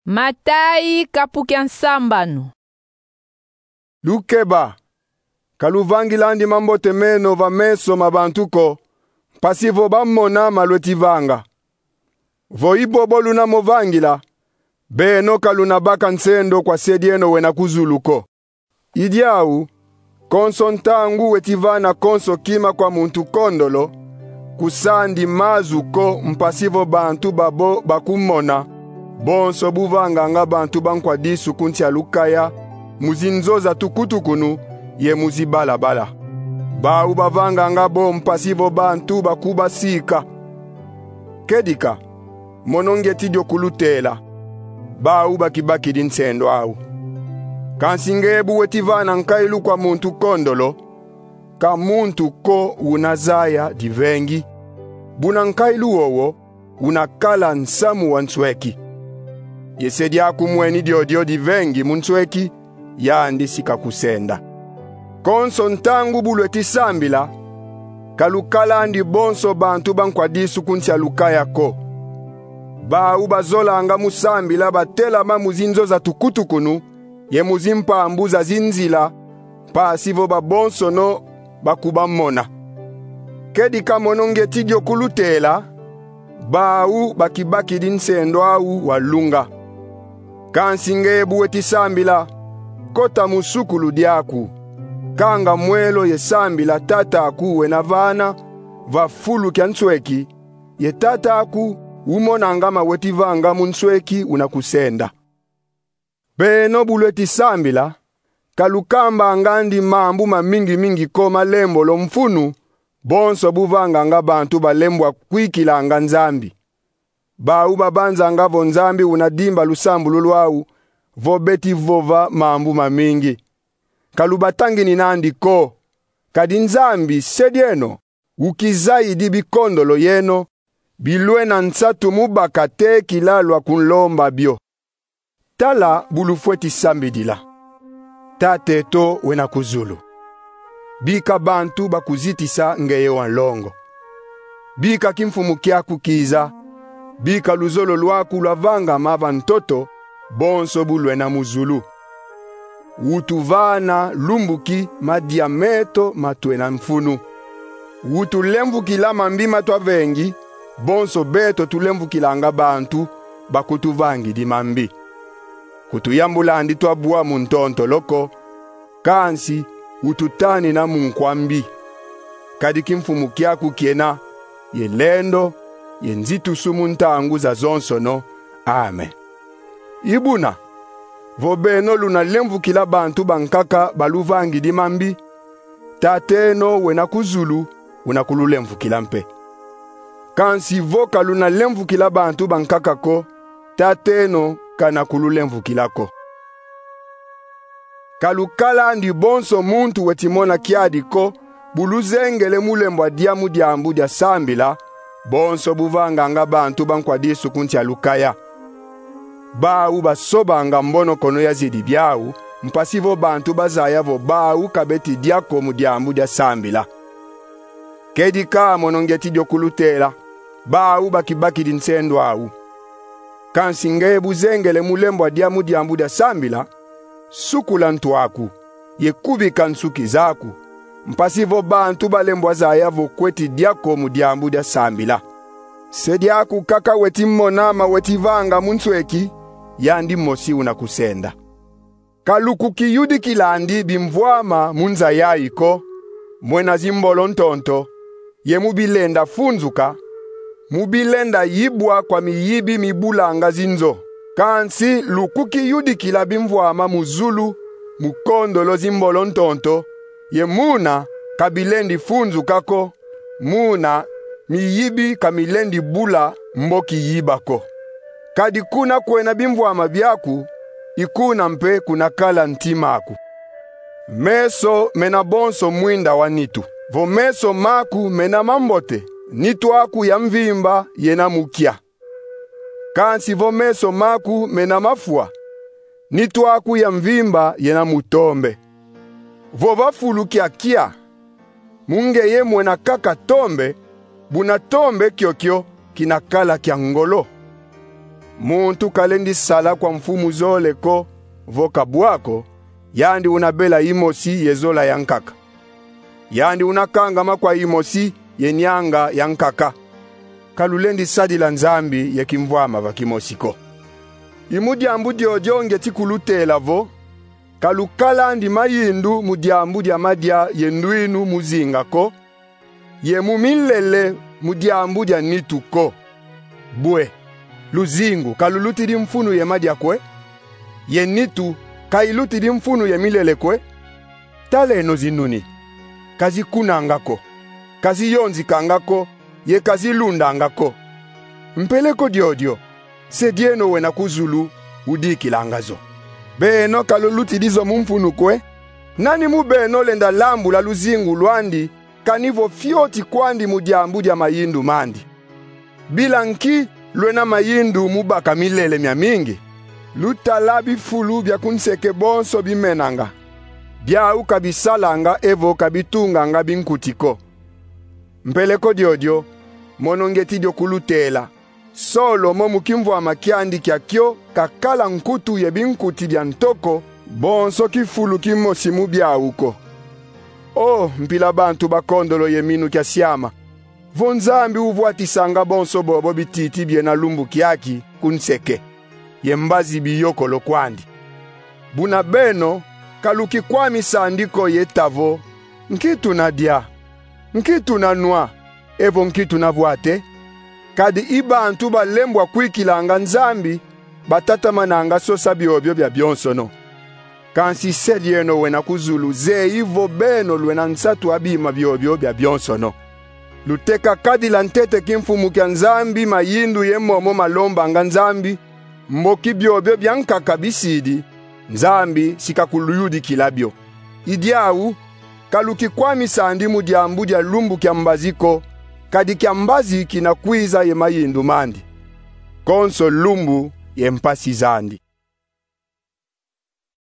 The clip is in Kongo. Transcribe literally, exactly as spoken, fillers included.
Matayi, kapu kia nsambanu. Lukeba, ka luvangilandi mambote meno va meso ma bantu ko, mpasi vo bamona ma lweti vanga. Vo i bobo luna mo vangila, beno ka luna baka nsendo kwa Se dieno wena ku zulu ko. I diau, konso ntangu weti vana konso kima kwa muntu kondolo, kusandi mazu ko, mpasi vo bantu babo bakumona, bonso bu vanganga bantu ba nkwa disu ku nsi a Lukaya, mu zinzo za tukutukunu ye mu zibalabala. Bau bavanganga bo mpasi vo bantu bakubasika. Kedika, mono ngieti dio kulutela: bau bakibakidi nsendo au. Kansi nge bu weti vana nkailu kwa muntu kondolo, ka muntu ko una zaya divengi, buna nkailu wowo una kala nsamu wa nsweki. Ye se diaku mweni diodio divengi mu nsweki, yandi si kakusenda. Konso ntangu bu lweti sambila, ka lukalandi bonso bantu ba nkwa disu ku nsi a Lukaya ko. Bau bazolanga mu sambila batelama mu zinzo za tukutukunu ye mu zimpambu za zinzila, mpasi vo babonsono bakubamona. Kedika mono ngieti dio kulutela: bau bakibakidi nsendo au wa lunga. Kansi nge bu weti sambila, kota mu sukulu diaku, kanga mwelo ye sambila Tata aku wena vana va fulu kia nsweki, ye Tata aku umonanga ma weti vanga mu nsweki una kusenda. Beno bu lweti sambila, ka lukambangandi mambu mamingi-mingi ko ma lembolo mfunu, bonso bu vanganga bantu balembwa kwikilanga Nzambi. Bau babanzanga vo Nzambi una dimba lusambulu lwau, vo beti vova mambu mamingi. Ka lubatangininandi ko, kadi Nzambi, Se dieno, ukizayidi bikondolo yeno, bilwena nsatu mu baka tekila lwa kunlomba bio. Tala bu lufweti sambidila: Tata eto wena ku zulu, bika bantu bakuzitisa ngeye wa nlongo. Bika kimfumu kiaku kiza. Bika luzolo lwaku lwavangama va ntoto, bonso bu lwena mu zulu. Utuvana lumbu ki madia meto ma twena mfunu. Utulemvukila mambi ma twavengi, bonso beto tulemvukilanga bantu bakutuvangidi mambi. Kutuyambulandi twabwa mu ntontolo ko, kansi ututanina mu nkwa mbi. Kadi kimfumu kiaku kiena, ye lendo, ye nzitusu mu ntangu zazonsono. Amen. I buna, vo beno luna lemvukila bantu bankaka baluvangidi mambi, Tat'eno wena ku zulu una kululemvukila mpe. Kansi vo ka luna lemvukila bantu bankaka ko, Tat'eno kana kululemvukila ko. Ka lukalandi bonso muntu weti mona kiadi ko, bu luzengele mu lembwa dia mu diambu dia sambila, bonso bu vanganga bantu ba nkwa disu ku nsi a Lukaya. Bau basobanga mbonokono ya zidi biau, mpasi vo bantu bazaya vo bau ka beti dia ko mu diambu dia sambila. Kedika mono ngieti dio kulutela: bau bakibakidi nsendo au. Kansi nge bu zengele mu lembwa dia mu diambu dia sambila, sukula ntu aku, ye kubika nsuki zaku, mpasi vo bantu balembwa zaya vo kweti dia ko mu diambu dia sambila. Se diaku kaka weti mona ma weti vanga mu nsweki, yandi mosi una kusenda. Ka lukukiyudikilandi bimvwama mu nza yayi ko, mwena zimbolo ntonto, ye mu bilenda funzuka, mu bilenda yibwa kwa miyibi mibulanga zinzo. Kansi lukukiyudikila bimvwama mu zulu, mu kondolo zimbolo ntonto, ye muna ka bilendi funzuka ko, muna miyibi ka milendi bula mbo kiyiba ko. Kadi kuna kwena bimvwama biaku, i kuna mpe kuna kala ntima aku. Meso mena bonso mwinda wa nitu. Vo meso maku mena mambote, nitu aku ya mvimba yena mu kia. Kansi vo meso maku mena mafwa, nitu aku ya mvimba yena mu tombe. Vo va fulu kia kia, mu ngeye mwena kaka tombe, buna tombe kiokio kina kala kia ngolo. Muntu kalendi sala kwa mfumu zole ko, vo ka bwa ko, yandi una bela imosi ye zola ya nkaka. Yandi una kangama kwa imosi ye nianga ya nkaka. Ka lulendi sadila Nzambi ye kimvwama va kimosi ko. I mu diambu diodio ngieti kulutela vo: ka lukalandi mayindu mu diambu dia madia ye ndwinu mu zinga ko, ye mu milele mu diambu dia nitu ko. Bwe, luzingu ka lulutidi mfunu ye madia kwe? Ye nitu ka ilutidi mfunu ye milele kwe? Taleno zinuni: ka zikunanga ko, ka ziyonzikanga ko, ye ka zilundanga ko. Mpeleko diodio, Se dieno wena ku zulu udikilanga zo. Beno ka lulutidi zo mu mfunu kwe? Nani mu beno lenda lambula luzingu lwandi, kani vo fioti kwandi mu diambu dia mayindu mandi? Bila nki lwena mayindu mu baka milele miamingi? Lutala bifulu bia ku nseke bonso bimenanga. Biau ka bisalanga evo ka bitunganga binkuti ko. Mpeleko diodio, mono ngieti dio kulutela: Solomo mu kimvwama kiandi kia kio kakala nkutu ye binkuti bia nto ko, bonso kifulu kimosi mu biau ko. O mpila bantu bakondolo ye minu kia siama, vo Nzambi uvwatisanga bonso bobo bititi biena lumbu kiaki ku nseke, ye mbazi biyokolo kwandi! Buna beno ka lukikwamisa andi ko ye ta vo: Nki tuna dia? Nki tuna nwa? Evo nki tuna vwate? Kadi i bantu balembwa kwikilanga Nzambi, batatamananga sosa biobio biabionsono. Kansi Se dieno wena ku zulu zeyi vo beno lwena nsatu a bima biobio biabionsono. Luteka kadila ntete kimfumu kia Nzambi mayindu ye momo malombanga Nzambi, mboki biobio bia nkaka bisidi, Nzambi si kakuluyudikila bio. I diau, ka lukikwamisa andi mu diambu dia lumbu kia mbazi ko, kadi kia mbazi kina kwiza ye mayindu mandi. Konso lumbu ye mpasi zandi.